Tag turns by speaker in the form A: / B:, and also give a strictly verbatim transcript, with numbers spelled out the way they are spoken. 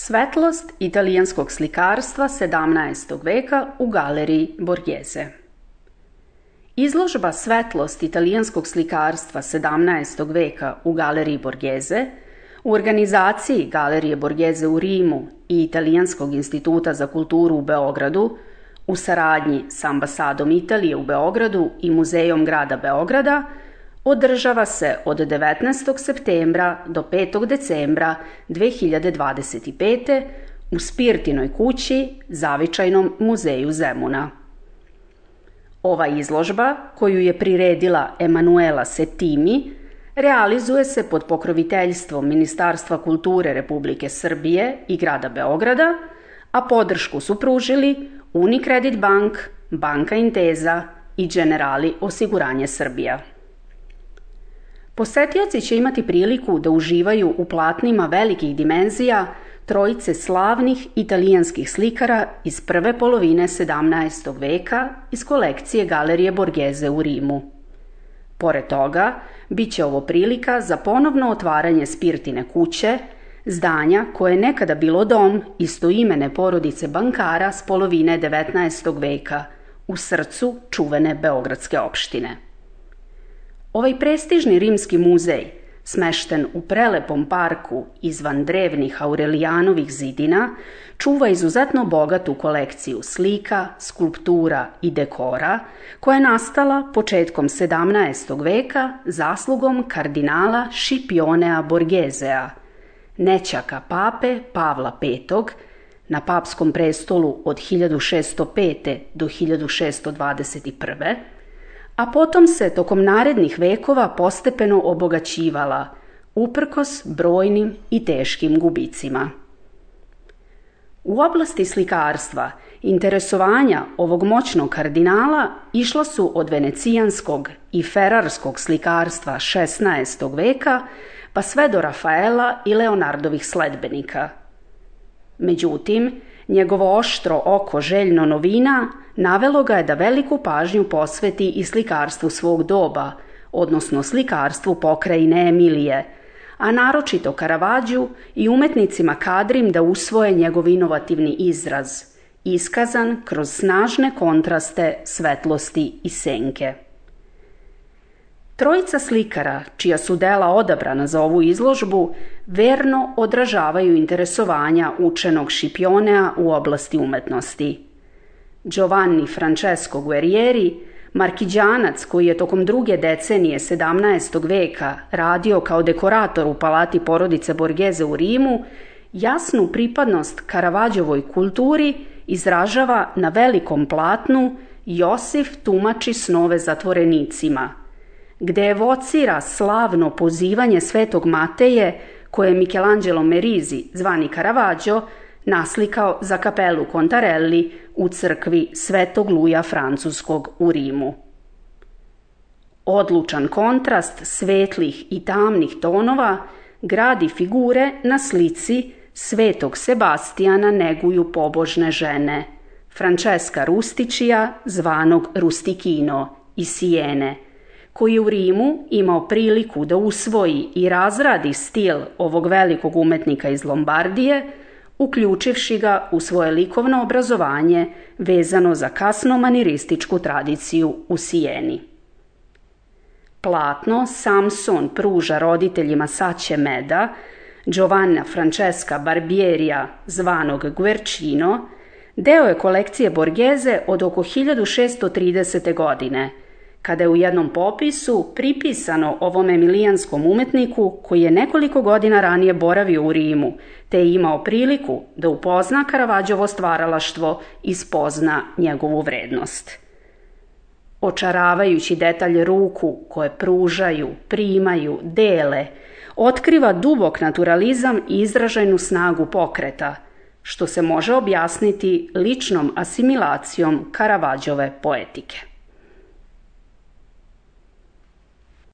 A: Svetlost italijanskog slikarstva sedamnaestog veka u galeriji Borghese. Izložba Svetlost italijanskog slikarstva sedamnaestog veka u galeriji Borghese u organizaciji Galerije Borghese u Rimu i Italijanskog instituta za kulturu u Beogradu u saradnji s ambasadom Italije u Beogradu i Muzejom grada Beograda održava se od devetnaestog septembra do petog decembra dve hiljade dvadeset pete. u Spirtinoj kući, Zavičajnom muzeju Zemuna. Ova izložba, koju je priredila Emanuela Settimi, realizuje se pod pokroviteljstvom Ministarstva kulture Republike Srbije i grada Beograda, a podršku su pružili Unicredit Bank, Banka Intesa i Generali osiguranje Srbija. Posetioci će imati priliku da uživaju u platnima velikih dimenzija trojice slavnih italijanskih slikara iz prve polovine sedamnaestog veka iz kolekcije Galerije Borghese u Rimu. Pored toga, bit će ovo prilika za ponovno otvaranje Spirtine kuće, zdanja koje je nekada bilo dom istoimene porodice bankara s polovine devetnaestog veka, u srcu čuvene beogradske opštine. Ovaj prestižni rimski muzej, smešten u prelepom parku izvan drevnih Aurelijanovih zidina, čuva izuzetno bogatu kolekciju slika, skulptura i dekora koja je nastala početkom sedamnaestog veka zaslugom kardinala Scipionea Borghesea, nećaka pape Pavla petog, na papskom prestolu od hiljadu šessto pete. do hiljadu šessto dvadeset prve. a potom se tokom narednih vekova postepeno obogaćivala, uprkos brojnim i teškim gubicima. U oblasti slikarstva interesovanja ovog moćnog kardinala išla su od venecijanskog i ferarskog slikarstva šesnaestog veka pa sve do Rafaela i Leonardovih sledbenika. Međutim, njegovo oštro oko željno novina navelo ga je da veliku pažnju posveti i slikarstvu svog doba, odnosno slikarstvu pokrajine Emilije, a naročito Caravaggiju i umetnicima kadrim da usvoje njegov inovativni izraz, iskazan kroz snažne kontraste svetlosti i senke. Trojica slikara, čija su dela odabrana za ovu izložbu, verno odražavaju interesovanja učenog Scipionea u oblasti umetnosti. Giovanni Francesco Guerrieri, markiđanac koji je tokom druge decenije sedamnaestog veka radio kao dekorator u palati porodice Borghese u Rimu, jasnu pripadnost Caravaggijovoj kulturi izražava na velikom platnu Josif tumači snove zatvorenicima, gde evocira slavno pozivanje Svetog Mateje koje je Michelangelo Merisi, zvani Caravaggio, naslikao za kapelu Contarelli u crkvi Svetog Luja Francuskog u Rimu. Odlučan kontrast svetlih i tamnih tonova gradi figure na slici Svetog Sebastijana neguju pobožne žene, Francesca Rustičija, zvanog Rustikino, iz Sijene, koji je u Rimu imao priliku da usvoji i razradi stil ovog velikog umetnika iz Lombardije, uključivši ga u svoje likovno obrazovanje vezano za kasno-manirističku tradiciju u Sijeni. Platno Samson pruža roditeljima Sače Meda, Giovanna Francesca Barbierija, zvanog Guercino, deo je kolekcije Borghese od oko hiljadu šessto tridesete. godine, kada je u jednom popisu pripisano ovom emilijanskom umetniku koji je nekoliko godina ranije boravio u Rimu, te je imao priliku da upozna Caravaggiovo stvaralaštvo i spozna njegovu vrednost. Očaravajući detalj ruku koje pružaju, primaju, dele, otkriva dubok naturalizam i izražajnu snagu pokreta, što se može objasniti ličnom asimilacijom Caravaggiove poetike.